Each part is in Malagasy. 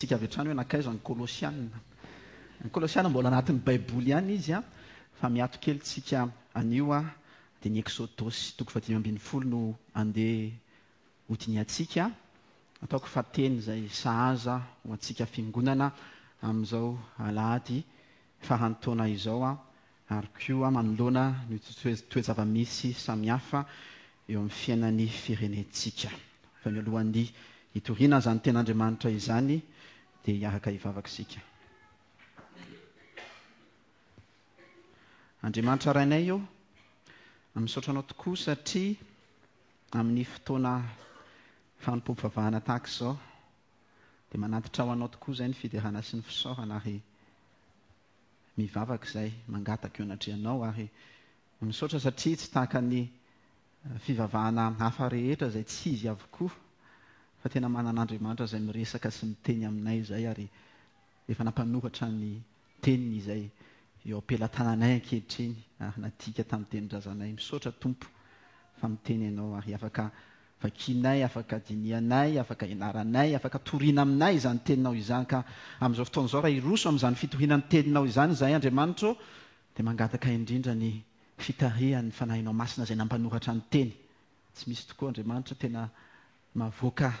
Tsika avy hatrany hoe nankaiza ny Kolosiana. Ny Kolosiana mbola anatin'ny Baiboly ihany izy fa miato kely tsika anio dia ny Eksodosy toko fahadimy ambin'ny folo no andeha hodinihantsika. Ataoko fa teny izay sahaza ho antsika fiangonana amin'izao alahady faran'ny taona izao ary koa manoloana ny toe-java-misy samihafa eo amin'ny fiainan'ny firenentsika. Fa mialohan'ny hitoriana izany Tenin'Andriamanitra izany dia hiaraka hivavaka isika. Andriamanitra Rainay ô, misaotra Anao tokoa satria amin'ny fotoana fanompoam-pivavahana tahaka izao dia manatitra ho Anao tokoa izay ny fiderana sy ny fisaorana ary mivavaka izay, mangataka eo anatrehanao ary misaotra satria tsy tahaka ny fivavahana hafa rehetra izay tsy izy avokoa fa tena manana Andriamanitra izay miresaka sy miteny aminay izay ary efa nampanoratra ny teniny izay eo am-pelatananay ankehitriny ary nadika tamin'ny tenin-drazanay. Misaotra Tompo fa miteny Ianao ary afaka vakianay, afaka dinihanay, afaka ianaranay, afaka toriana aminay izany teninao izany ka amin'izao fotoana izao raha hiroso amin'izany fitoriana ny teninao izany izahay Andriamanitra ô dia mangataka indrindra ny fitarihan'ny Fanahinao Masina izay nampanoratra ny teny. Tsy misy tokoa Andriamanitra tena mahavoaka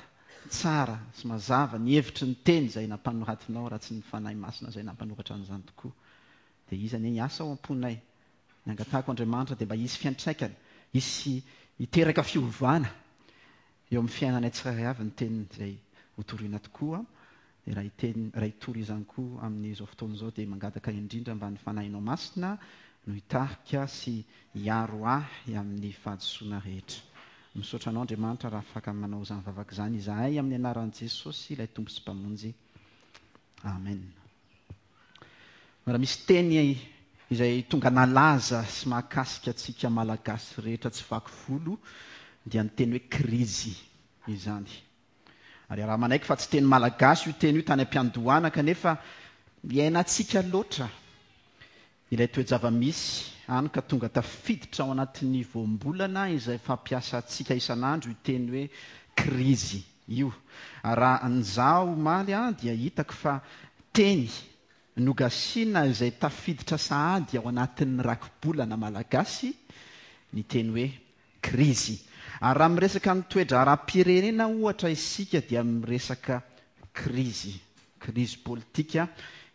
tsara sy mazava ny hevitry ny teny izay nampanoratinao raha tsy ny Fanahy Masina izay nampanoratra an'izany tokoa. Dia Izy anie hiasa ao am-ponay. Ny angatahako Andriamanitra dia mba hisy fiantraikany, hisy hiteraka fiovana eo amin'ny fiainanay tsirairay avy ny teniny izay hotorina tokoa. Dia raha hiteny, raha hitory izany koa amin'izao fotoana izao dia mangataka indrindra mba ny Fanahinao Masina no hitarika sy hiaro ahy amin'ny fahadisoana rehetra. Misaotra Anao Andriamanitra raha afaka manao izany vavaka izany izahay amin'ny anaran'i Jesosy ilay Tompo sy Mpamonjy. Amen. Raha misy teny izay tonga nalaza sy mahakasika antsika Malagasy rehetra tsy vaky volo dia ny teny hoe krizy izany. Ary raha manaiky fa tsy teny malagasy io teny io tany am-piandohana kanefa iainantsika loatra ilay toe-java-misy hany ka tonga tafiditra ao anatin'ny voambolana izay fampiasantsika isan'andro io teny hoe krizy io. Ary raha nizaha omaly aho dia hitako fa teny nogasiana izay tafiditra sahady ao anatin'ny rakibolana malagasy ny teny hoe krizy. Ary raha miresaka ny toe-draharaham-pirenena ohatra isika dia miresaka krizy, krizy politika,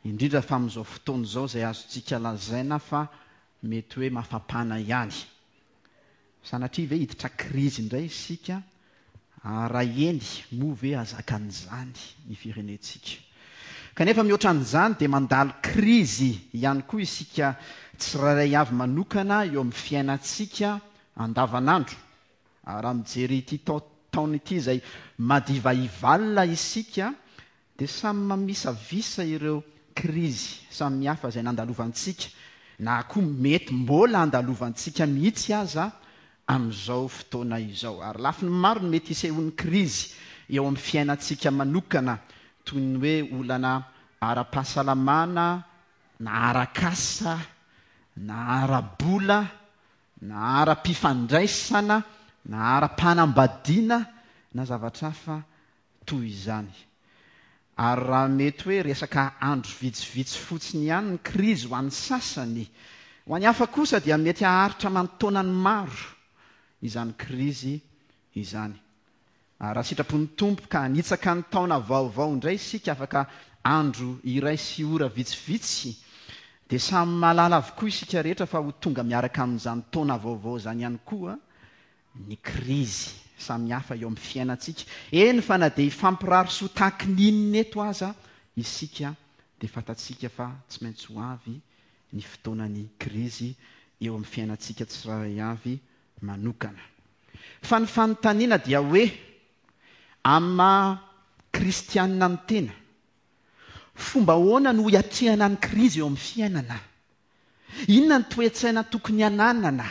indrindra fa amin'izao fotoana izao izay azontsika lazaina fa mety hoe mafampana ihany. Sanatria ve hiditra krizy indray isika? Ary raha eny, moa ve hahazaka an'izany ny firenentsika? Kanefa mihoatra an'izany dia mandalo krizy ihany koa isika tsirairay avy manokana eo amin'ny fiainantsika andavanandro. Ary raha mijery ity taona ity izay madiva hivalona isika dia samy mamisavisa ireo krizy samihafa izay nandalovantsika na koa mety mbola handalovantsika mihitsy aza amin'izao fotoana izao. Ary lafiny maro no mety hisehoan'ny krizy eo amin'ny fiainantsika manokana, toy ny hoe olana ara-pahasalamana, na arak'asa, na ara-bola, na ara-pifandraisana, na ara-panambadiana, na zavatra hafa toy izany. Ary raha mety hoe resaka andro vitsivitsy fotsiny ihany ny krizy ho an'ny sasany, ho an'ny hafa kosa dia mety haharitra aman-taonany maro izany krizy izany. Ary raha sitrapon'ny Tompo ka hanitsaka ny taona vaovao indray isika afaka andro iray sy ora vitsivitsy, dia samy mahalala avokoa isika rehetra fa ho tonga miaraka amin'izany taona vaovao izany ihany koa ny krizy samihafa eo amin'ny fiainantsika, eny fa na dia hifampirary soa tahaky ny inona eto aza isika dia fantatsika fa tsy maintsy ho avy ny fotoanan'ny krizy eo amin'ny fiainantsika tsirairay avy manokana. Fa ny fanontaniana dia hoe, amin'ny maha kristianina ny tena, fomba ahoana no hiatrehana ny krizy eo amin'ny fiainana? Inona ny toe-tsaina tokony hananana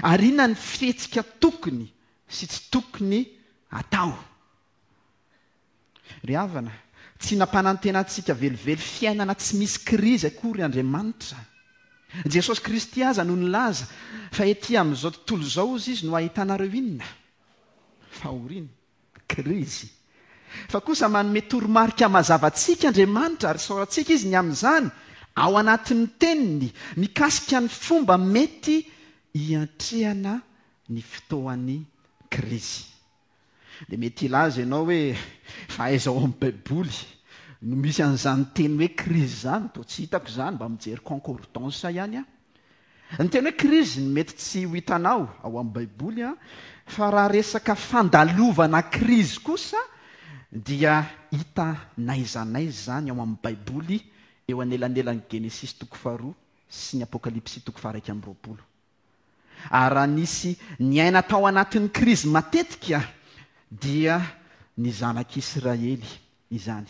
ary inona ny fihetsika tokony sy tsy tokony hatao? Ry havana, tsy nampanantena antsika velively fiainana tsy misy krizy akory Andriamanitra. Jesosy Kristy aza no nilaza fa ety amin'izao tontolo izao hozy izy no ahitanareo inona? Fahoriana. Krizy. Fa kosa manome toromarika mazava antsika Andriamanitra, ary isaorantsika Izy ny amin'izany, ao anatin'ny Teniny, mikasika ny fomba mety hiantrehana ny fotoan'ny krizy. Dia mety hilaza ianao hoe, fa aiza ao amin'ny Baiboly no misy an'izany teny hoe krizy izany? Toa tsy hitako izany, mba mijery concordance ihany aho. Ny teny hoe krizy no mety tsy ho hitanao ao amin'ny Baiboly, fa raha resaka fandalovana krizy kosa dia hita n'aiza n'aiza izany ao amin'ny Baiboly eo anelanelan'ny Genesisy toko faharoa sy ny Apokalypsy toko faha-21. Ary raha nisy niaina tao anatin'ny krizy matetika dia ny zanak'Israely izany.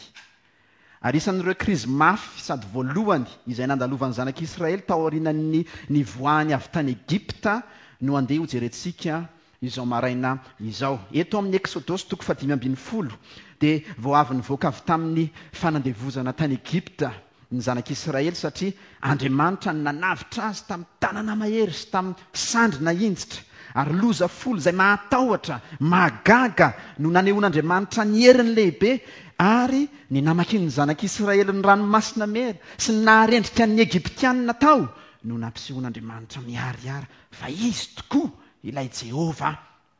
Ary isan'ireo krizy mafy sady voalohany izay nandalovan'ny zanak'Israely taorian'ny nivoahany avy tany Egypta no andeha hojerentsika izao maraina izao. Eto amin'ny Eksodosy toko fahadimy ambin'ny folo dia vao avy nivoaka avy tamin'ny fanandevozana tany Egypta ny zanak'Israely satria Andriamanitra no nanavotra azy tamin'ny tanana mahery sy tamin'ny sandry nahinjitra, ary loza folo izay mahatahotra, mahagaga no nanehoan'Andriamanitra ny heriny lehibe, ary ny namakian'ny zanak'Israely ny Ranomasina Mena sy ny naharendrika ny Egyptianina tao no nampisehoan'Andriamanitra miharihary fa Izy tokoa ilay Jehovah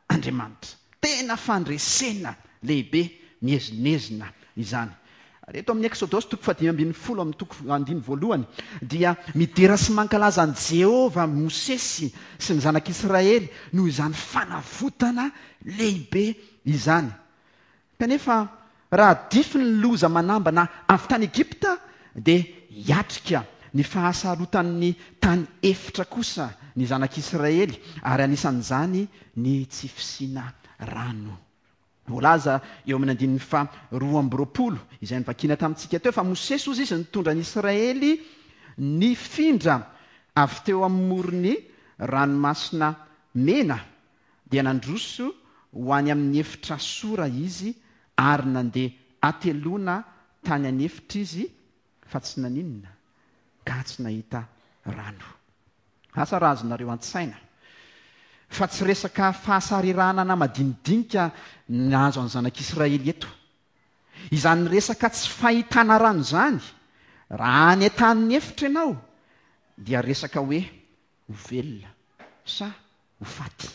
Andriamanitra. Tena fandresena lehibe miezinezina izany. Ary eto amin'ny Eksodosy toko fahadimy ambin'ny folo amin'ny toko andiny voalohany dia midera sy mankalaza an'i Jehovah Mosesy sy ny zanak'Israely noho izany fanavotana lehibe izany. Kanefa raha dify ny loza manambana avy tany Egypta dia hiatrika ny fahasarotan'ny tany efitra kosa ny zanak'Israely ary anisan'izany ny tsy fisiana rano. Voalaza eo amin'ny andininy faha 22 izay novakiana tamintsika teo fa Mosesy hozy izy nitondra ny Israely nifindra avy teo amin'ny moron'ny ranomasina Mena dia nandroso ho any amin'ny efitra Sora izy ary nandeha hateloana tany an'efitra izy fa tsy naninona ka tsy nahita rano. Asa raha azonareo an-tsaina fa tsy resaka fahasariranana madinidinika nahazo an'ny zanak'Israely eto. Izany resaka tsy fahitana rano izany, raha any an-tanin'ny efitra ianao dia resaka hoe ho velona sa ho faty.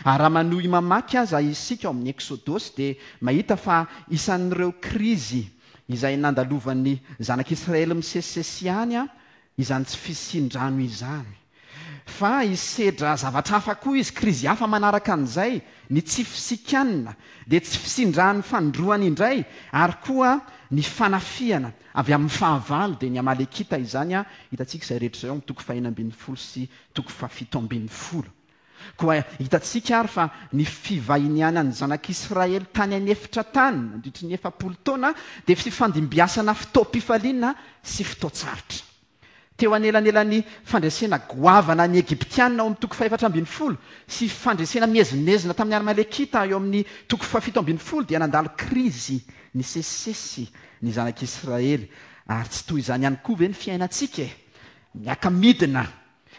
Ary raha manohy mamaky aza isika ao amin'ny Eksodosy dia mahita fa isan'ireo krizy izay nandalovan'ny zanak'Israely misesisesy ihany izany tsy fisian-drano izany. Fa hisedra zavatra hafa koa izy, krizy hafa manaraka an'izay, ny tsy fisian-kanina, dia tsy fisian-drano fanindroany indray, ary koa ny fanafihana avy amin'ny fahavalo, dia ny Amalekita izany, hitantsika izay rehetra izay ao amin'ny toko fahenina ambin'ny folo sy toko fahafito ambin'ny folo. Koa hitantsika àry fa ny fivahinianan'ny zanak'Israely tany an'efitra tany nandritry ny 40 taona dia fifandimbiasana fotoam-pifaliana sy fotoan-tsarotra. Teo anelanelan'ny fandresena goavana ny Egyptiana ao amin'ny toko fahefatra ambin'ny folo sy fandresena miezinezina tamin'ny Amalekita eo amin'ny toko fahafito ambin'ny folo dia nandalo krizy nisesisesy ny zanak'Israely. Ary tsy toy izany ihany koa ve ny fiainantsika e? Miaka-midina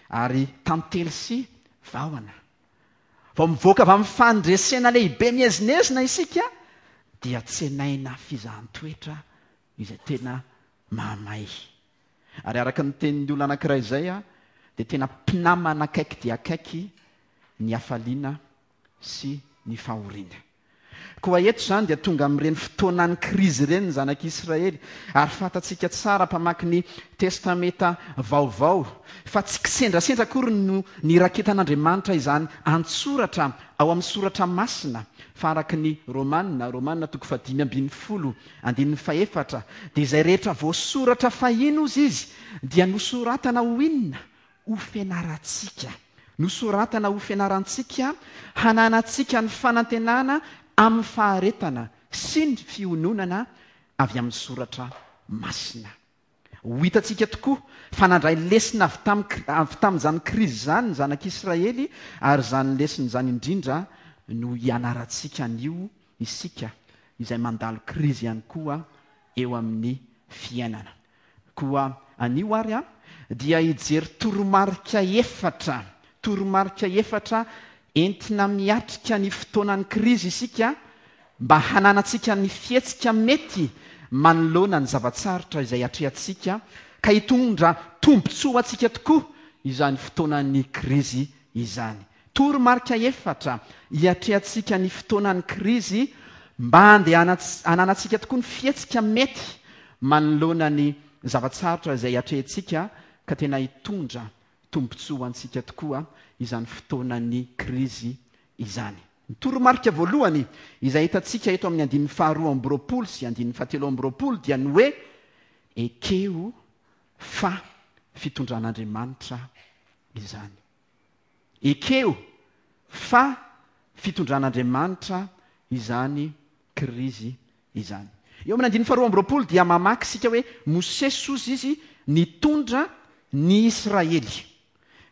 ary tantely sy vahona. Vao mivoaka avy amin'ny fandresena lehibe miezinezina isika dia tsenaina fizahan-toetra izay tena mahamay. Ary araka ny tenin'ny olona anankiray izay dia tena mpinamana akaiky dia akaiky ny hafaliana sy ny fahoriana. Koa eto izany dia tonga amin'ireny fotoanan'ny krizy ireny ny zanak'Israely, ary fantatsika tsara mpamaky ny Testamenta Vaovao fa tsy kisendrasendra akory no niraketan'Andriamanitra izany an-tsoratra ao amin'ny Soratra Masina, fa araka ny Romana, Romana toko fahadimy ambin'ny folo andininy fahefatra, dia izay rehetra voasoratra fahiny hozy izy dia nosoratana ho inona? ho fianarantsika. Nosoratana ho fianarantsika hananantsika ny fanantenana amin'ny faharetana sy ny fiononana avy amin'ny soratra masina. Ho hitantsika tokoa fa nandray lesona avy tamin'ny avy tamin'izany krizy izany ny zanak'Israely ary izany lesona izany indrindra no hianarantsika anio isika izay mandalo krizy ihany koa eo amin'ny fiainana. Koa anio ary aho dia hijery toromarika efatra, toromarika efatra entina miatrika ny fotoanan'ny krizy isika, mba hananantsika ny fihetsika mety manoloana ny zava-tsarotra izay atrehantsika ka hitondra tombontsoa ho antsika tokoa izany fotoanan'ny krizy izany. Toromarika efatra hiatrehantsika ny fotoanan'ny krizy mba hananantsika tokoa ny fihetsika mety manoloana ny zava-tsarotra izay atrehintsika ka tena hitondra tombontsoa ho antsika tokoa izany fotoanan'ny krizy izany. Ny toromarika voalohany izay hitantsika eto amin'ny andininy faharoa amby roapolo sy andininy fahatelo amby roapolo dia ny hoe ekeo fa fitondran'Andriamanitra izany. Ekeo fa fitondran'Andriamanitra izany krizy izany. Eo amin'ny andininy faharoa amby roapolo dia mamaky isika hoe Mosesy hozy izy nitondra ny Israely.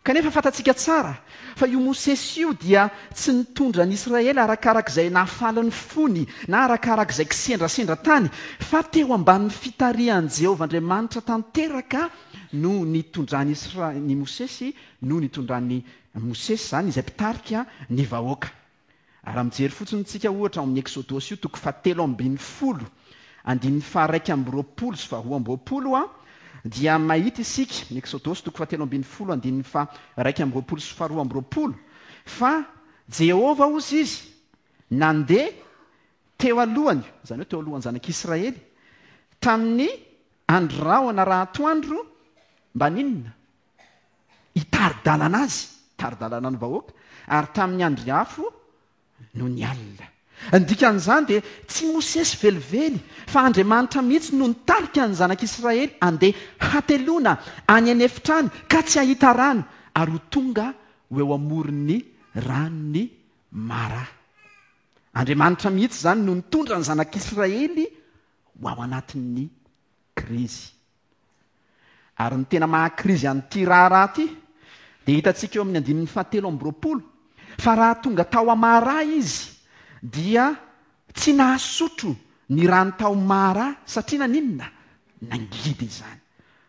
Kanefa fantatsika tsara fa io Mosesy io dia tsy nitondra ny Israely arakarak'izay nahafaly ny fony na arakarak'izay kisendrasendra tany, fa teo ambanin'ny fitarihan'i Jehovah Andriamanitra tanteraka no nitondran'i Isra-, ny Mosesy no nitondran'i Mosesy izany izay mpitarika ny vahoaka. Raha mijery fotsiny isika ohatra ao amin'ny Eksodosy io toko fahatelo ambin'ny folo andininy faha-iraika amby roapolo sy faharoa amby roapolo a, dia mahita isika, ny Eksodosy toko fahatelo ambin'ny folo andininy faha-iraika amby roapolo sy faharoa amby roapolo, fa Jehovah hozy izy nandeha teo alohany, izany hoe teo alohan'ny zanak'Israely, tamin'ny andro rahona raha atoandro mba n'inona? Hitari-dalana azy, hitari-dalana ny vahoaka, ary tamin'ny andry afo nony alina. Ny dikan'izany dia tsy Mosesy velively fa Andriamanitra mihitsy no nitarika ny zanak'Israely handeha hateloana any an'efitra any ka tsy hahita rano ary ho tonga ho eo amoron'ny ranon'i Mara. Andriamanitra mihitsy izany no nitondra ny zanak'Israely ho ao anatin'ny krizy. Ary ny tena maha-krizy an'ity raharaha ity dia hitantsika eo amin'ny andininy fahatelo amby roapolo fa raha tonga tao Amara izy dia tsy nahasotro ny rano tao Mara satria naninona? Nangidy izany.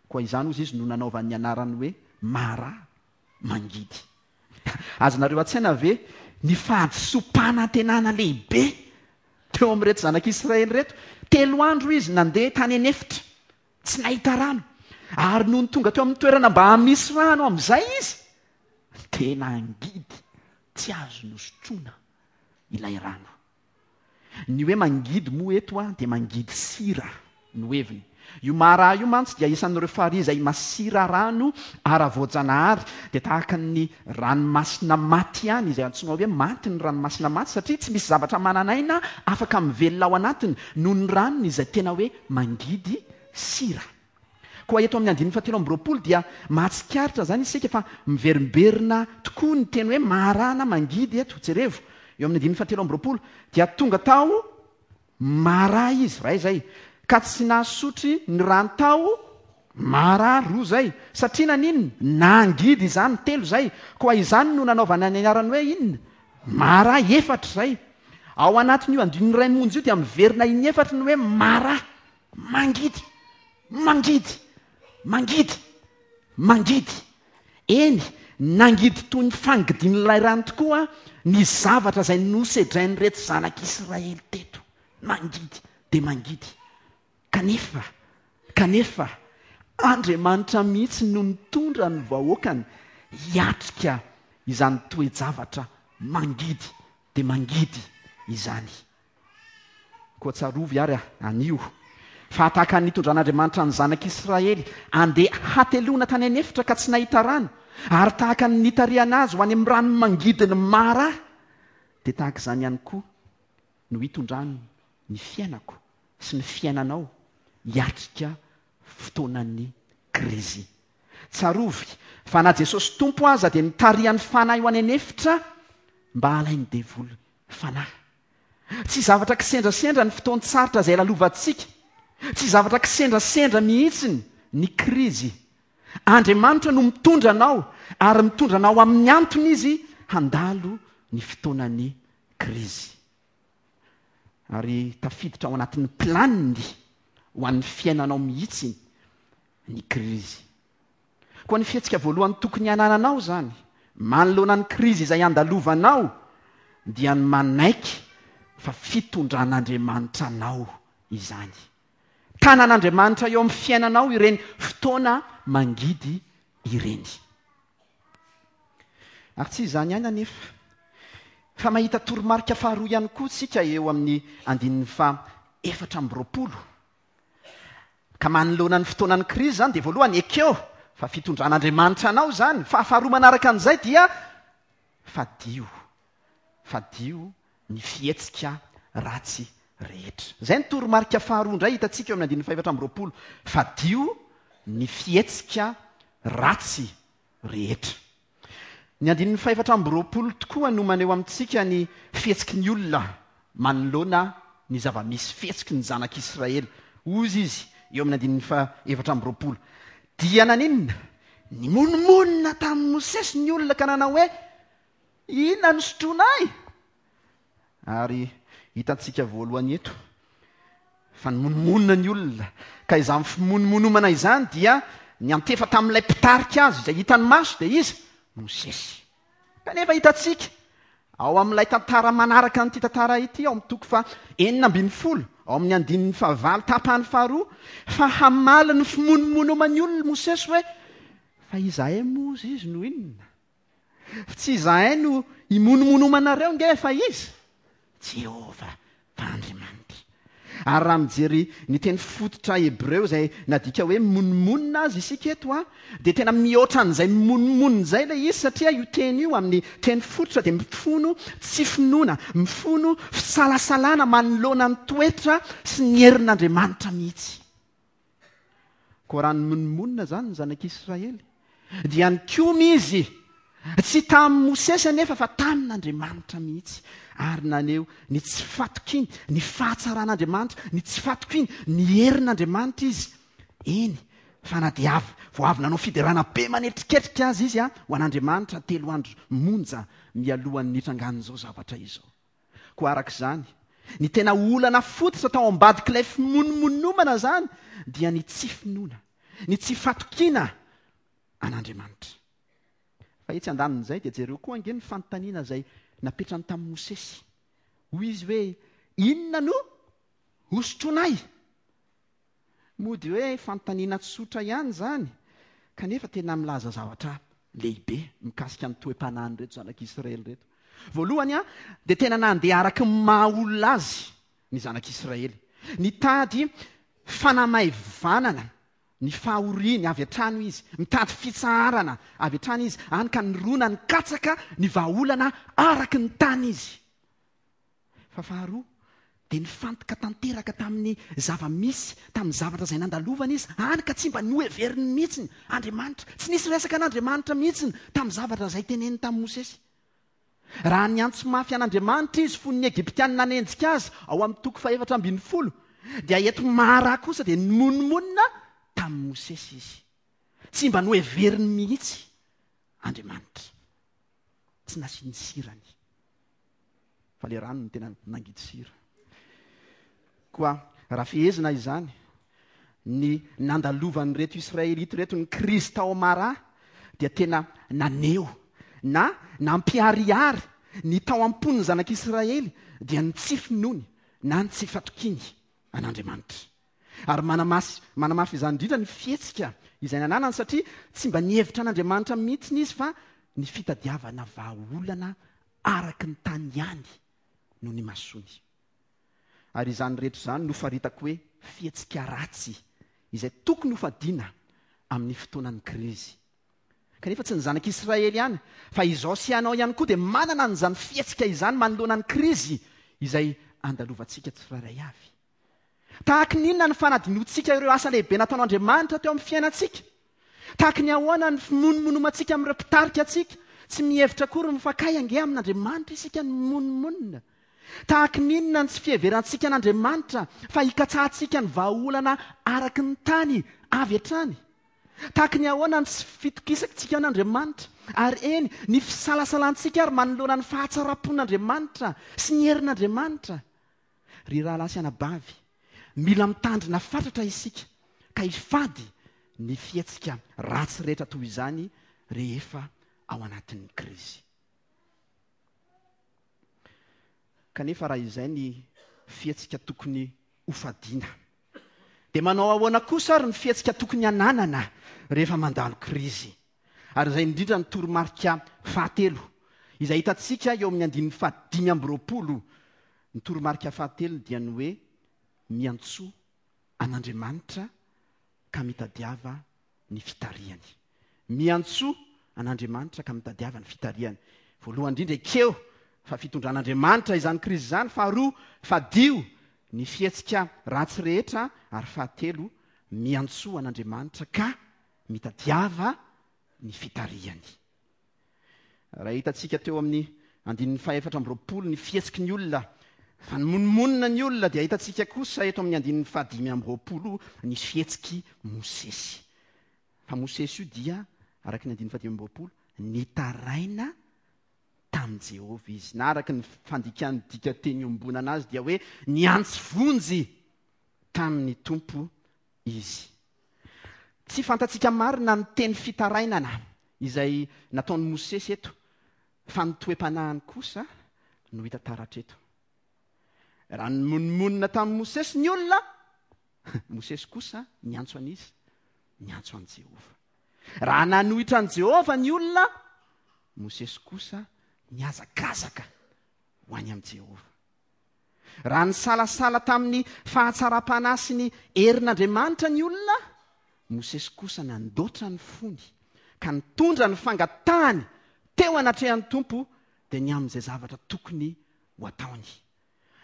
Koa izany hozy izy no nanaovany ny anarany hoe Mara, mangidy. Azonareo an-tsaina ve ny fahadisoam-panantenana lehibe teo amin'ireto zanak'Israely ireto? Telo andro izy nandeha tany an'efitra, tsy nahita rano. Ary nony tonga teo amin'ny toerana mba hamisy rano amin'izay izy, dia nangidy tsy azo nosotroina ilay rano. Ny hoe mangidy moa eto dia mangidy sira no heviny. Io Mara io mantsy dia isan'ireo farihy izay masira rano ara-voajanahary, dia tahaka ny ranomasina maty ihany, izay antsoina hoe maty ny ranomasina maty satria tsy misy zavatra manan'aina afaka mivelona ao anatiny noho ny ranony izay tena hoe mangidy sira. Koa eto amin'ny andininy fahatelo amby roapolo dia mahatsikaritra izany isika fa miverimberina tokoa ny teny hoe Mara na mangidy eto. Jerevo, eo amin'ny andininy fahatelo amby roapolo dia tonga tao Mara izy, iray izay, ka tsy nahasotry ny rano tao Mara, roa izay, satria naninona? Nangidy izany, telo izay. Koa izany no nanaovana ny anarany hoe inona? Mara, efatra izay. Ao anatin'io andininy iray monja io dia miverina in'efatra ny hoe Mara. Mangidy! Mangidy! Mangidy! Mangidy! Eny, nangidy toy ny fangidian'ilay rano tokoa ny zavatra izay nosedrain'ireto zanak'Israely teto. Mangidy dia mangidy. Kanefa, kanefa, Andriamanitra mihitsy no nitondra ny vahoakany hiatrika izany toe-javatra mangidy dia mangidy izany. Koa tsarovy ary anio, fa tahaka ny nitondran'Andriamanitra ny zanak'Israely handeha hateloana tany an'efitra ka tsy nahita rano, ary tahaka ny nitarihana azy ho any amin'ny rano mangidin'i Mara, dia tahaka izany ihany koa no hitondrany ny fiainako sy ny fiainanao hiatrika fotoanan'ny krizy. Tsarovy fa na Jesosy Tompo aza dia nitarihan'ny Fanahy ho any an'efitra mba halain'ny devoly fanahy. Tsy zavatra kisendrasendra ny fotoan-tsarotra izay lalovantsika. Tsy zavatra kisendrasendra mihitsy ny krizy. Andriamanitra no mitondra anao ary mitondra anao amin'ny antony Izy handalo ny fotoanan'ny krizy. Ary tafiditra ao anatin'ny planiny ho an'ny fiainanao mihitsy ny krizy. Koa ny fihetsika voalohany tokony hanananao izany, manoloana ny krizy izay andalovanao, dia ny manaiky fa fitondran'Andriamanitra anao izany. Tanan'Andriamanitra eo amin'ny fiainanao ireny fotoana mangidy ireny. Ary tsy izany ihany anefa, fa mahita toromarika faharoa ihany koa isika eo amin'ny andininy faha 24. Ka manoloana ny fotoanan'ny krizy izany dia voalohany ekeo fa fitondran'Andriamanitra anao izany, fa faharoa manaraka an'izay dia fadio, fadio ny fihetsika ratsy rehetra. Izay ny toromarika faharoa indray hitantsika eo amin'ny andininy fahefatra amby roapolo, fadio ny fihetsika ratsy rehetra. Ny andininy fahefatra amby roapolo tokoa no maneho amintsika ny fihetsiky ny olona manoloana ny zava-misy, fihetsiky ny zanak'Israely. Hoy izy eo amin'ny andininy faha-24, Dia naninona? Nimonomonona tamin'i Mosesy ny olona ka nanao hoe, Inona no sotroinay? Ary hitantsika voalohany eto fa nimonomonona ny olona, ka izany fimonomonomana izany dia niantefa tamin'ilay mpitarika azy izay hitany maso, dia iza? Mosesy. Kanefa hitantsika ao amin'ilay tantara manaraka an'ity tantara ity, ao amin'ny toko faha 16, ao amin'ny andininy fahavalo tapany faharoa, fa hamaly ny fimonomonoman'ny olona Mosesy hoe, Fa izahay moa hozy izy no inona? Tsy izahay no imonomonomanareo nge fa iza? Jehovah fa Andriamanitra. Ary raha mijery ny teny fototra hebreo izay nadika hoe mimonomonona aza isika eto a, dia tena mihoatra an'izay mimonomonona izay ilay izy satria io teny io amin'ny teny fototra dia mifono tsy finoana, mifono fisalasalana manoloana ny toetra sy ny herin'Andriamanitra mihitsy. Koa raha nimonomonona izany ny zanak'Israely, dia nikomy izy, tsy tamin'i Mosesy anefa fa tamin'Andriamanitra mihitsy, ary naneho ny tsy fatokiany ny fahatsaran'Andriamanitra, ny tsy fatokiany ny herin'Andriamanitra izy. Eny, fa na dia avy vao avy nanao fiderana be manetriketrika aza izy ho an'Andriamanitra telo andro monja mialohan'ny nitrangan'izao zavatra izao. Koa araka izany, ny tena olana fototra tao ambadik'ilay fimonomonomana izany dia ny tsy finoana, ny tsy fatokiana an'Andriamanitra. Fa etsy andanin'izay dia jereo koa ange ny fanontaniana izay napetrany tamin'i Mosesy. Hoy izy hoe, Inona no hosotroinay? Mody hoe fanontaniana tsotra ihany izany, kanefa tena milaza zavatra lehibe mikasika ny toe-panahin'ireto zanak'Israely ireto. Voalohany, dia tena nandeha araka ny maha olona azy ny zanak'Israely. Nitady fanamaivanana ny fahoriany avy hatrany izy, mitady fitsaharana avy hatrany izy, hany ka nirona nikatsaka ny vahaolana araka ny tany izy. Fa faharoa, dia nifantoka tanteraka tamin'ny zava-misy, tamin'ny zavatra izay nandalovany izy, hany ka tsy mba noheveriny mihitsy Andriamanitra. Tsy nisy resaka an'Andriamanitra mihitsy tamin'ny zavatra izay teneniny tamin'i Mosesy. Raha niantso mafy an'Andriamanitra izy fony ny Egyptiana nanenjika azy ao amin'ny toko fahefatra ambin'ny folo, dia eto Mara kosa dia nimonomonona tamin'i Mosesy izy. Tsy mba noheveriny mihitsy Andriamanitra. Tsy nasiany sirany. Fa le rano no tena nangidy sira. Koa raha fehezina izany, ny nandalovan'ireto Israelita ireto ny krizy tao Mara dia tena naneho na nampiharihary ny tao am-pon'ny zanak'Israely dia ny tsy finoany na ny tsy fatokiany an'Andriamanitra. Ary manamasy manamafy izany indrindra ny fihetsika izay nananany satria tsy mba nihevitra an'Andriamanitra mihitsy izy fa ny fitadiavana vahaolana araka ny tany ihany no nimasoany. Ary izany rehetra izany no faritako hoe fihetsika ratsy izay tokony hofadiana amin'ny fotoanan'ny krizy. Kanefa tsy ny zanak'Israely ihany fa izao sy ianao ihany koa dia manana an'izany fihetsika izany manoloana ny krizy izay andalovantsika tsirairay avy. Tahaky ny inona ny fanadinoantsika ireo asa lehibe nataon'Andriamanitra teo amin'ny fiainantsika? Tahaky ny ahoana ny fimonomonomantsika amin'ireo mpitarika antsika? Tsy mihevitra akory ny mifankay ange amin'Andriamanitra isika no mimonomonona. Tahaky ny inona ny tsy fiheverantsika an'Andriamanitra fa hikatsahantsika ny vahaolana araky ny tany avy hatrany? Tahaky ny ahoana ny tsy fitokisantsika an'Andriamanitra, ary eny, ny fisalasalantsika ary manoloana ny fahatsaram-pon'Andriamanitra sy ny herin'Andriamanitra? Ry rahalahy sy anabavy, mila mitandrina fatratra isika ka hifady ny fihetsika ratsy rehetra toy izany rehefa ao anatin'ny krizy. Kanefa raha izay ny fihetsika tokony hofadiana, dia manao ahoana kosa ary ny fihetsika tokony hananana rehefa mandalo krizy? Ary izay indrindra ny toromarika fahatelo, izay hitantsika eo amin'ny andininy fahadimy amby 20. Ny toromarika fahatelo dia ny hoe miantsoa an'Andriamanitra ka mitadiava ny fitarihany. Miantsoa an'Andriamanitra ka mitadiava ny fitarihany. Voalohany indrindra, ekeo fa fitondran'Andriamanitra izany krizy izany. Faharoa, fadio ny fihetsika ratsy rehetra. Ary fahatelo, miantsoa an'Andriamanitra ka mitadiava ny fitarihany. Raha hitantsika teo amin'ny andininy fahefatra amby 20 ny fihetsiky ny olona, fa nimonomonona ny olona, dia hitantsika kosa eto amin'ny andininy fahadimy amby 20 ny fihetsik'i Mosesy. Fa Mosesy io dia, araka ny andininy fahadimy amby 20, nitaraina tamin'i Jehovah izy. Na araka ny fandikan'ny dikanteny iombonana azy dia hoe niantso vonjy tamin'ny Tompo izy. Tsy fantatsika marina ny teny fitarainana izay nataon'i Mosesy eto, fa ny toe-panahiny kosa no hita taratra eto. Raha nimonomonona tamin'i Mosesy ny olona, Mosesy kosa niantso an'iza? Niantso an'i Jehovah. Raha nanohitra an'i Jehovah ny olona, Mosesy kosa nihazakazaka ho any amin'i Jehovah. Raha nisalasala tamin'ny fahatsaram-panahy sy ny herin'Andriamanitra ny olona, Mosesy kosa nandoatra ny fony ka nitondra ny fangatahany teo anatrehan'ny Tompo dia ny amin'izay zavatra tokony ho ataony.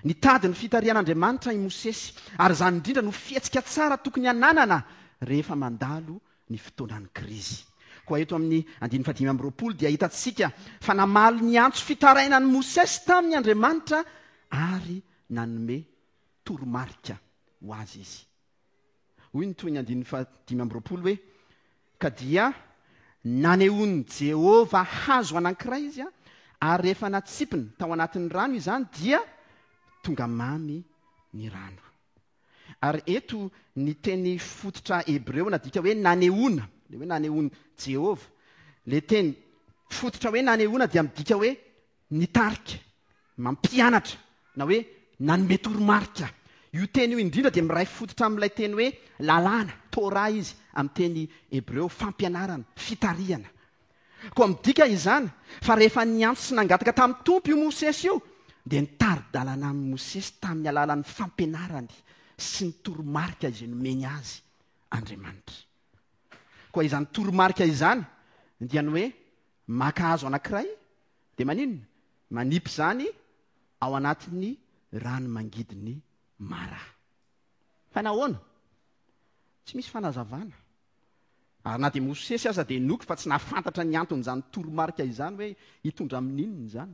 Nitady ny fitarihan'Andriamanitra i Mosesy, ary izany indrindra no fihetsika tsara tokony hananana rehefa mandalo ny fotoanan'ny krizy. Koa eto amin'ny andininy fahadimy amby 20 dia hitantsika fa namaly ny antso fitarainan'i Mosesy taminy Andriamanitra ary nanome toromarika ho azy izy. Hoy ny tohin'ny andininy fahadimy amby 20 hoe, Ka dia nanehoan'i Jehovah hazo anankiray izy, ary rehefa natsipiny tao anatin'ny rano izany dia tonga mamy ny rano. Ary eto ny teny fototra hebreo nadika hoe nanehoana, ilay hoe nanehoan'i Jehovah. Ilay teny fototra hoe nanehoana dia midika hoe nitarika, mampianatra, na hoe nanome toromarika. Io teny io indrindra dia miray fototra amin'ilay teny hoe lalàna, Torah izy amin'ny teny hebreo, fampianarana, fitarihana. Koa midika izany fa rehefa niantso sy nangataka tamin'ny Tompo io Mosesy io, dia nitari-dalana an'i Mosesy tamin'ny alalan'ny fampianarany sy ny toromarika izay nomeny azy Andriamanitra. Koa izany toromarika izany dia ny hoe maka hazo anankiray dia maninona? Manipy izany ao anatin'ny rano mangidin'ny Mara. Fa nahoana? Tsy misy fanazavana. Ary na dia Mosesy aza dia inoako fa tsy nahafantatra ny anton'izany toromarika izany hoe hitondra amin'inona izany.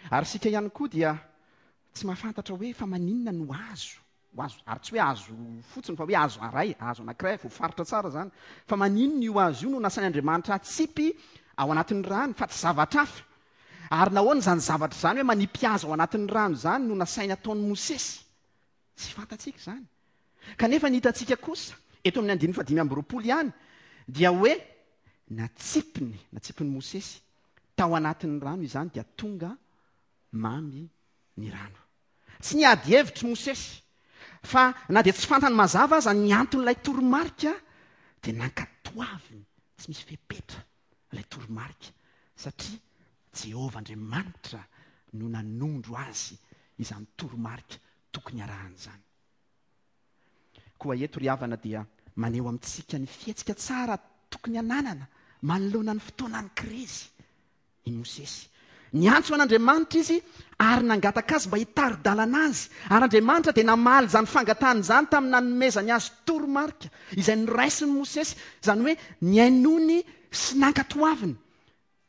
Ary isika ihany koa dia tsy mahafantatra hoe fa maninona no azo, ho azo, ary tsy hoe azo fotsiny fa hoe azo aray, azo anankiray, voafaritra tsara izany. Fa maninona io hazo io no nasain'Andriamanitra hatsipy ao anatin'ny rano fa tsy zavatra hafa? Ary nahoana izany zavatra izany hoe manipy hazo ao anatin'ny rano izany no nasainy hataon'i Mosesy? Tsy fantatsika izany. Kanefa ny hitantsika kosa, eto amin'ny andininy fahadimy amby 20 ihany, dia hoe natsipiny, natsipin'i Mosesy, tao anatin'ny rano izany dia tonga mamy ny rano. Tsy niady hevitra i Mosesy, fa na dia tsy fantany mazava aza ny anton'ilay toromarika, dia nankatoaviny tsy misy fepetra ilay toromarika, satria Jehovah Andriamanitra no nanondro azy izany toromarika tokony harahana izany. Koa eto ry havana dia maneho amintsika ny fihetsika tsara tokony hananana manoloana ny fotoanan'ny krizy i Mosesy. Niantso an'Andriamanitra izy ary nangataka azy mba hitari-dalana azy. Ary Andriamanitra dia namaly izany fangatahana izany tamin'ny nanomezany azy toromarika izay noraisin'i Mosesy, izany hoe nihainoany sy nankatoaviny.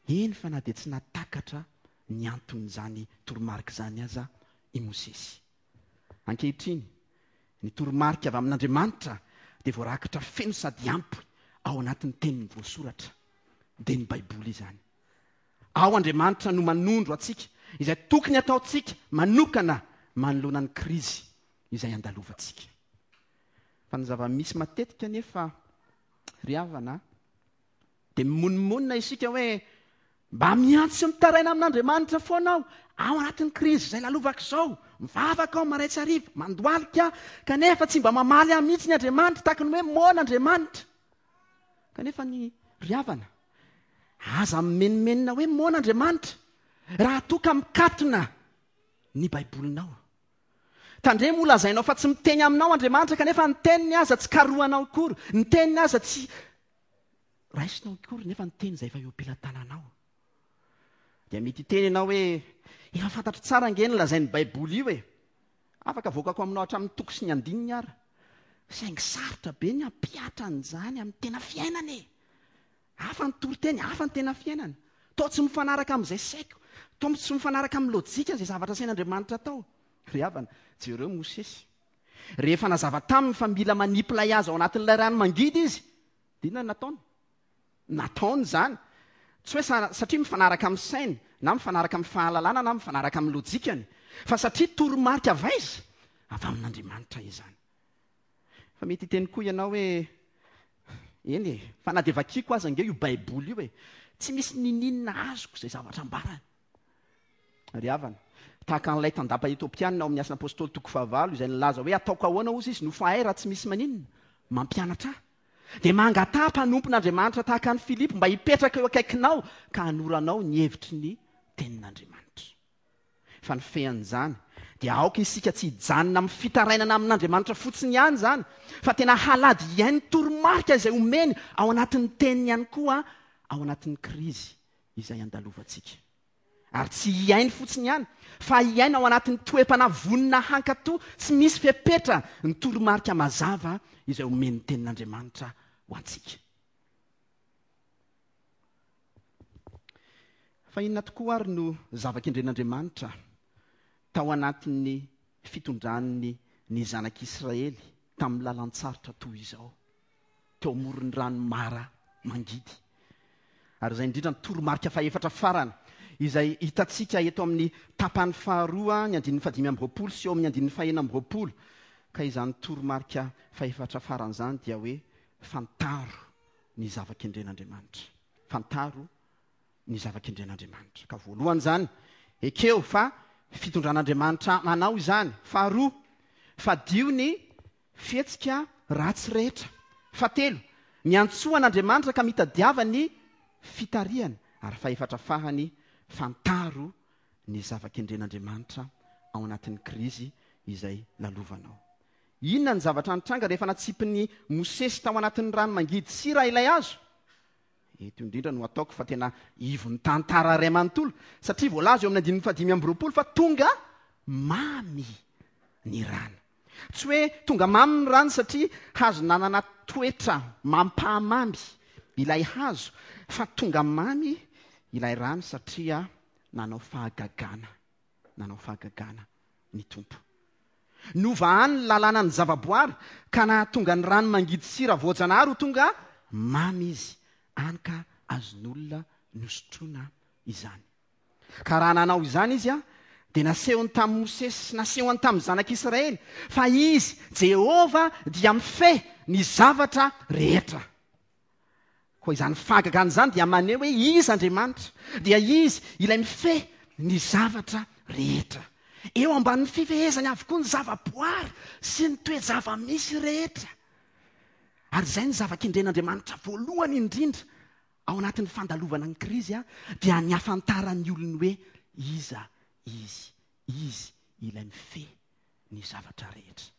Eny fa na dia tsy nahatakatra ny anton'izany toromarika izany aza i Mosesy. Ankehitriny, ny toromarika avy amin'Andriamanitra dia voarakitra feno sady ampy ao anatin'ny Teniny voasoratra, dia ny Baiboly izany. Ao Andriamanitra no manondro antsika izay tokony hataontsika manokana manoloana ny krizy izay andalovantsika. Fa ny zava-misy matetika anefa, ry havana, dia mimonomonona isika hoe mba miantso sy mitaraina amin'Andriamanitra foana aho. Ao anatin'ny krizy izay lalovako izao, mivavaka aho marain-tsy hariva, mandohalika aho, kanefa tsy mba mamaly ahy mihitsy ny Andriamanitra, tahaka ny hoe moana Andriamanitra. Kanefa ny ry havana, aza mimenomenona hoe moana Andriamanitra, raha toa ka mikatona ny Baibolinao. Tandremo ho lazainao fa tsy miteny aminao Andriamanitra, kanefa ny teniny aza tsy karohanao akory, ny teniny aza tsy raisinao akory, nefa ny teny izay efa eo am-pelatananao. Dia mety hiteny ianao hoe, Efa fantatro tsara ange ny lazain'ny Baiboly io e! Afaka avoakako aminao hatramin'ny toko sy ny andininy ara. Saingy sarotra be ny hampihatra an'izany amin'ny tena fiainana e! Hafa ny toriteny, hafa ny tena fiainana. Toa tsy mifanaraka amin'izay saiko, toa tsy mifanaraka amin'ny lojika izay zavatra asain'Andriamanitra atao. Ry havana, jereo Mosesy. Rehefa nazava taminy fa mila manipy ilay hazo ao anatin'ilay rano mangidy izy, dia inona no nataony? Nataony izany. Tsy hoe satria mifanaraka amin'ny sainy, na mifanaraka amin'ny fahalalana, na mifanaraka amin'ny lojikany, fa satria toromarika avy aiza? Avy amin'Andriamanitra izany. Fa mety hiteny koa ianao hoe, Eny e, fa na dia vakiako aza ange io Baiboly io e, tsy misy niniana azoko izay zavatra ambarany. Ry havana, tahaka an'ilay tandapa Etiopiana ao amin'ny Asan'ny Apostoly toko fahavalo izay nilaza hoe ataoko ahoana hozy izy no fa hay raha tsy misy maninona? Mampianatra ahy. Dia mangataha mpanompon'Andriamanitra tahaka an'i Filipo mba hipetraka eo akaikinao ka hanoranao ny hevitry ny Tenin'Andriamanitra. Fa ny fean'izany dia aoka isika tsy hijanona amin'ny fitarainana amin'Andriamanitra fotsiny ihany izany, fa tena halady hihaino toromarika izay omeny ao anatin'ny Teniny ihany koa ao anatin'ny krizy izay andalovantsika. Ary tsy hihaino fotsiny ihany, fa hiaina ao anatin'ny toe-panahy vonona hankatò tsy misy fepetra ny toromarika mazava izay omen'ny Tenin'Andriamanitra ho antsika. Fa inona tokoa ary no zava-kendren'Andriamanitra tao anatin'ny fitondrany ny zanak'Israely tamin'ny lalan-tsarotra toy izao? teo amoron'ny rano Mara mangidy. Ary izay indrindra ny toromarika fahefatra farany, izay hitantsika eto amin'ny tapany faharoa, ny andininy fahadimy amby 20 sy eo amin'ny andininy fahenina amby 20. Ka izany toromarika fahefatra farany izany dia hoe fantaro ny zava-kendren'Andriamanitra. Fantaro ny zava-kendren'Andriamanitra. Ka voalohany izany, ekeo fa fitondran'Andriamanitra manao izany. Faharoa, fadio ny Fihetsika ratsy rehetra. Fahatelo, miantsoa an'Andriamanitra ka mitadiava ny fitarihany. Ary fahefatra farany, fantaro ny zava-kendren'Andriamanitra ao anatin'ny krizy izay lalovanao. Inona ny zavatra nitranga rehefa natsipin'i Mosesy tao anatin'ny rano mangidy sira ilay hazo? Eto indrindra no ataoko fa tena ivon'ny tantara iray manontolo, satria voalaza eo amin'ny andininy fahadimy amby 20 fa tonga mamy ny rano. Tsy hoe tonga mamy ny rano satria hazo nanana toetra mampahamamy ilay hazo, fa tonga mamy ilay rano satria nanao fahagagana, nanao fahagagana ny Tompo. Novahany ny lalànan'ny zavaboary ka nahatonga ny rano mangidy sira voajanahary ho tonga mamy izy, hany ka azon'olona nosotroina izany. Ka raha nanao izany izy, dia nasehony tamin'i Mosesy sy nasehony tamin'ny zanak'Israely fa izy, Jehovah, dia mifehy ny zavatra rehetra. Koa izany fahagagana izany dia maneho hoe iza Andriamanitra, dia izy ilay mifehy ny zavatra rehetra. Eo ambanin'ny fifehezany avokoa ny zavaboary sy ny toe-java-misy rehetra. Ary izay no zava-kendren'Andriamanitra voalohany indrindra Ao anatin'ny fandalovana ny krizy dia ny hahafantaran'ny olony hoe iza izy, izy ilay mifehy ny zavatra rehetra.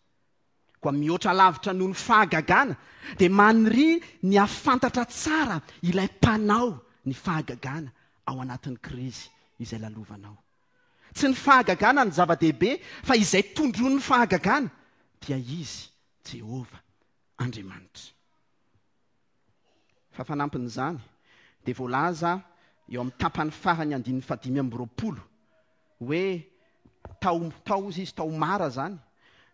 Koa mihoatra lavitra noho ny fahagagana dia maniria ny hahafantatra tsara ilay mpanao ny fahagagana ao anatin'ny krizy izay lalovanao. Tsy ny fahagagana no zava-dehibe fa izay tondroin'ny fahagagana dia izy, Jehovah Andriamanitra. Fa fanampin'izany, dia voalaza eo amin'ny tapany farany andininy fahadimy amby 20 hoe tao, tao hozy izy, tao Mara izany,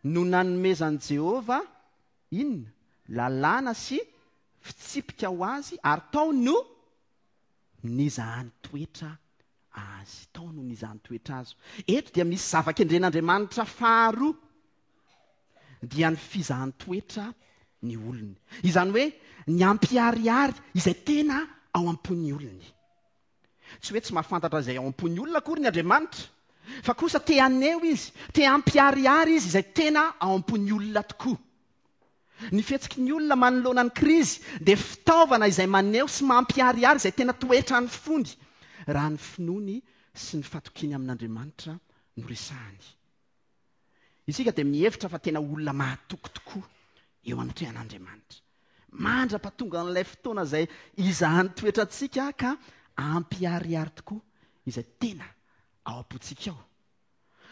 no nanomezan'i Jehovah inona? Lalàna sy fitsipika ho azy, ary tao no nizahany toetra azy. Tao no nizahany toetra azy. Eto dia misy zava-kendren'Andriamanitra faharoa. dia ny fizahan-toetra ny olony. Izany hoe ny hampiharihary izay tena ao am-pon'ny olony. Tsy hoe tsy mahafantatra izay ao am-pon'ny olona akory ny Andriamanitra. Fa kosa te haneho izy, te hampiharihary izy izay tena ao am-pon'ny olona tokoa. Ny fihetsiky ny olona manoloana ny krizy dia fitaovana izay maneho sy mampiharihary izay tena toetran'ny fony, raha ny finoany sy ny fatokiany amin'Andriamanitra no resahany. Isika dia mihevitra fa tena olona mahatoky tokoa eo anatrehan'Andriamanitra. Mandra-pahatongan'ilay fotoana izay hizahan'ny toetrantsika ka hampiharihary tokoa izay tena ao am-pontsika ao.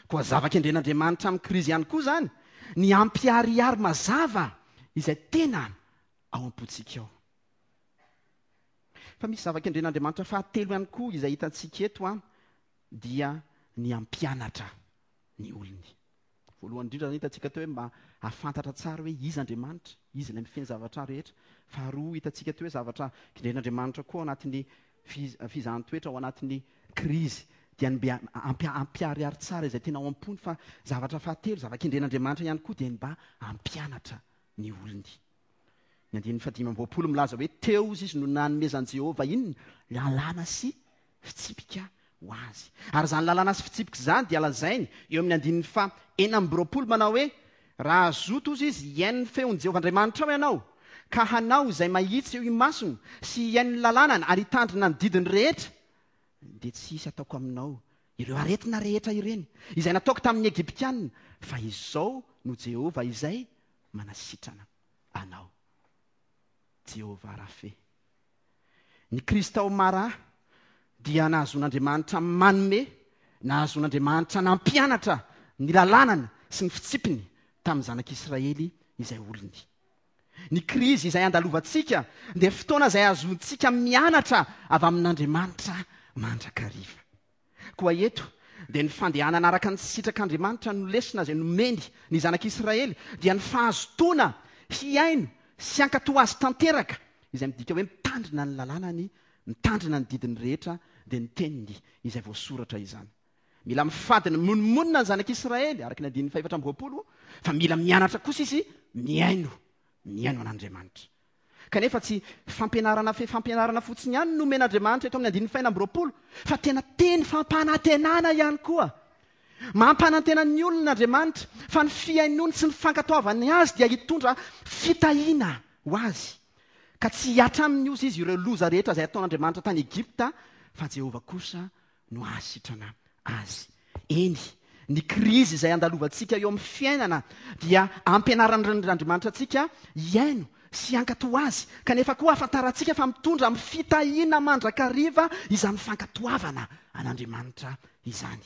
Koa zava-kendren'Andriamanitra amin'ny krizy ihany koa izany ny hampiharihary mazava izay tena ao am-pontsika ao. Fa misy zava-kendren'Andriamanitra fahatelo ihany koa izay hitantsika eto an, dia ny hampianatra ny olony. Voalohany indrindra izany hitantsika teo hoe mba hahafantatra tsara hoe iza Andriamanitra, iza ilay mifehy ny zavatra rehetra. Faharoa hitantsika teo hoe zavatra kendren'Andriamanitra koa ao anatin'ny fizahan-toetra, ao anatin'ny krizy, dia ny mba hampiharihary tsara izay tena ao am-pony. Fa zavatra fahatelo, zava-kendren'Andriamanitra ihany koa dia ny mba hampianatra ny olony. Ny andininy fahadimy amby roapolo milaza hoe teo izy no nanomezan'i Jehovah inona? Lalàna sy fitsipika ho azy. Ary izany lalàna sy fitsipika izany dia lazainy eo amin'ny andininy faha 26 manao hoe, Raha hazoto ozy izy hihaino ny feon'i Jehovah Andriamanitrao ianao, ka hanao izay mahitsy eo imasony sy hihaino ny lalànany ary hitandrina ny didiny rehetra, dia tsy hisy hataoko aminao ireo aretina rehetra ireny, izay nataoko tamin'ny Egyptiana, fa izao no Jehovah izay manasitrana anao. Jehovah Rafe. Ny krizy tao Mara dia nahazoan'Andriamanitra manome, nahazoan'Andriamanitra nampianatra ny lalànany sy ny fitsipiny tamin'ny zanak'Israely izay olony. Ny krizy izay andalovantsika dia fotoana izay ahazoantsika mianatra avy amin'Andriamanitra mandrakariva. Koa eto dia ny fandehanana araka ny sitrak'Andriamanitra no lesona izay nomeny ny zanak'Israely, dia ny fahazotoana hihaino sy hankatò Azy tanteraka, izay midika hoe mitandrina ny lalànany, mitandrina ny didiny rehetra, dia ny teniny izay voasoratra izany. Mila mifady ny mimonomonona ny zanak'Israely, araka ny andininy fahefatra amby roapolo, fa mila mianatra kosa izy mihaino, mihaino an'Andriamanitra. Kanefa tsy fampianarana fe fampianarana fotsiny ihany no omen'Andriamanitra eto amin'ny andininy fahenina amby roapolo, fa tena teny fampanantenana ihany koa. Mampanantena ny olona Andriamanitra fa ny fihainoany sy ny fankatoavany azy dia hitondra fitahiana ho azy, ka tsy hihatra aminy ozy izy ireo loza rehetra izay ataon'Andriamanitra tany Egypta, fa Jehovah kosa no hahasitrana azy. Eny, ny krizy izay andalovantsika eo amin'ny fiainana dia ampianaran'Andriamanitra antsika hihaino sy hankatò azy, kanefa koa ahafantarantsika fa mitondra amin'ny fitahiana mandrakariva izany fankatoavana an'Andriamanitra izany.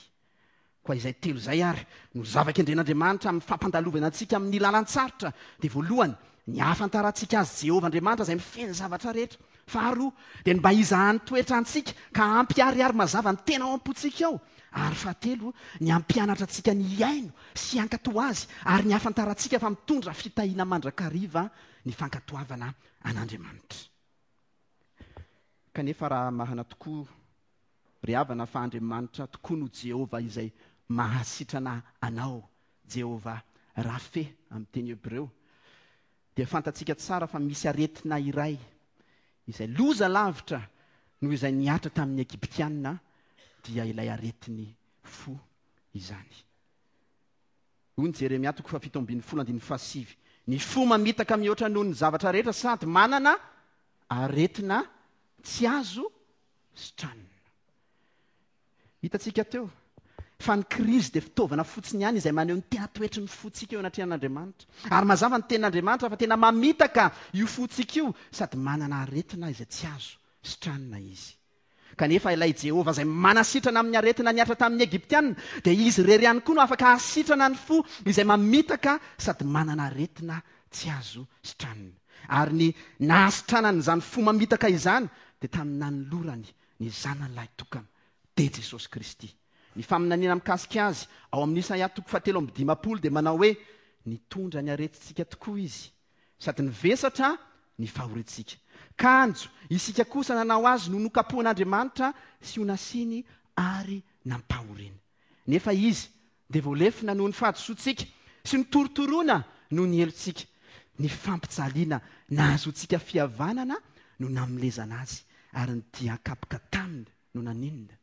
Koa izay telo izay ary no zava-kendren'Andriamanitra amin'ny fampandalovana antsika amin'ny lalan-tsarotra, dia voalohany, ny hahafantarantsika Azy Jehovah Andriamanitra izay mifehy ny zavatra rehetra. Faharoa, dia ny mba hizahany toetra antsika ka hampiharihary mazava ny tena ao am-pontsika ao. Ary fahatelo, ny hampianatra antsika ny hihaino sy hankatò Azy ary ny hahafantarantsika fa mitondra fitahiana mandrakariva ny fankatoavana an'Andriamanitra. Kanefa raha marina tokoa ry havana fa Andriamanitra tokoa no Jehovah izay mahasitrana anao, Jehovah Rafe amin'ny teny hebreo, dia fantatsika tsara fa misy aretina iray izay loza lavitra noho izay nihatra tamin'ny Egyptiana, dia ilay aretin'ny fo izany. Hoy ny Jeremia toko fahafito ambin'ny folo andininy fahasivy, Ny fo mamitaka mihoatra noho ny zavatra rehetra sady manana aretina tsy azo sitranina. Hitantsika teo fa ny krizy dia fitaovana fotsiny ihany izay maneho ny tena toetry ny fontsika eo anatrehan'Andriamanitra. Ary mazava ny tenin'Andriamanitra fa tena mamitaka io fontsika io sady manana aretina izay tsy azo sitranina izy. Kanefa ilay Jehovah izay manasitrana amin'ny aretina nihatra tamin'ny Egyptiana dia izy irery ihany koa no afaka hahasitrana ny fo izay mamitaka sady manana aretina tsy azo sitranina. Ary ny nahasitranany izany fo mamitaka izany dia tamin'ny nanolorany ny Zanany lahitokana, dia Jesosy Kristy. Ny faminaniana mikasika Azy ao amin'ny Isaia toko fahatelo amby dimampolo dia manao hoe, Nitondra ny aretintsika tokoa Izy, sady nivesatra ny fahoriantsika. Kanjo isika kosa nanao Azy no nokapohin'Andriamanitra sy ho nasiany ary nampahoriany. Nefa Izy dia voalefona noho ny fahadisoantsika sy notorotoroina noho ny helotsika. Ny fampijaliana nahazoantsika fihavanana no namelezana Azy, ary ny dian-kapoka taminy no naninona?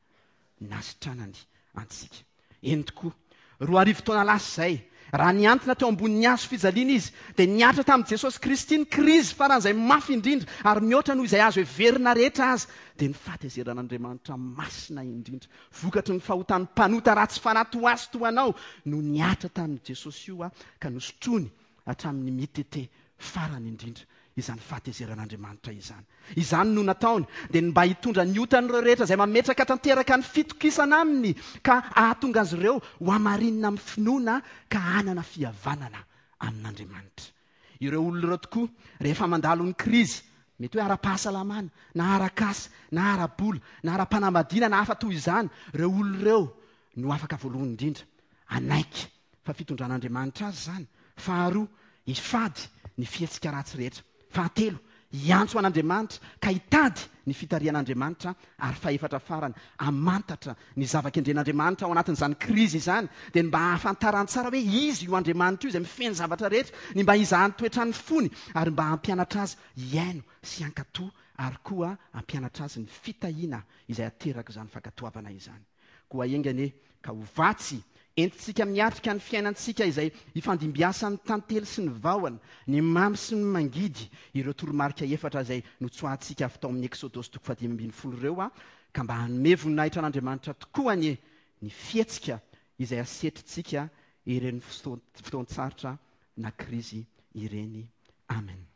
Nasitranany antsika. Eny tokoa, 2000 taona lasa izay, raha nihantona teo ambonin'ny hazo fijaliana izy, dia nihatra tamin'i Jesosy Kristy ny krizy faran'izay mafy indrindra ary mihoatra noho izay azo heverina rehetra aza, dia ny fahatezeran'Andriamanitra masina indrindra, vokatry ny fahotan'ny mpanota ratsy fanahy toa ahy sy toa anao, no nihatra tamin'i Jesosy io ka nosotroiny hatramin'ny mitete farany indrindra izany fahatezeran'Andriamanitra izany. Izany no nataony, dia ny mba hitondra ny otan'ireo rehetra izay mametraka tanteraka ny fitokisana aminy ka hahatonga azy ireo ho hamarinina amin'ny finoana ka hanana fihavanana amin'Andriamanitra. Ireo olona ireo tokoa, rehefa mandalo ny krizy, mety hoe ara-pahasalamana, na ara-kasa, na ara-bola, na ara-panambadiana na hafa toy izany, ireo olona ireo no afaka voalohany indrindra hanaiky fa fitondran'Andriamanitra azy izany. Faharoa, hifady ny fihetsika ratsy rehetra. Fahatelo, hiantso an'Andriamanitra ka hitady ny fitarihan'Andriamanitra. Ary fahefatra farany, hamantatra ny zava-kendren'Andriamanitra ao anatin'izany krizy izany, dia ny mba hahafantarany tsara hoe izy io Andriamanitra io izay mifehy ny zavatra rehetra, ny mba hizahany toetra ny fony, ary mba hampianatra azy hihaino sy hankatò ary koa hampianatra azy ny fitahiana izay aterak'izany fankatoavana izany. Koa enga anie ka ho vatsy entintsika miatrika ny fiainantsika izay ifandimbiasan'ny tantely sy ny vahona, ny mamy sy ny mangidy, ireo toromarika efatra izay notsoahantsika avy tao amin'ny Eksodosy toko fahadimy ambin'ny folo ireo, ka mba hanome voninahitra an'Andriamanitra tokoa anie ny fihetsika izay asetrintsika ireny fotoan-tsarotra na krizy ireny. Amen.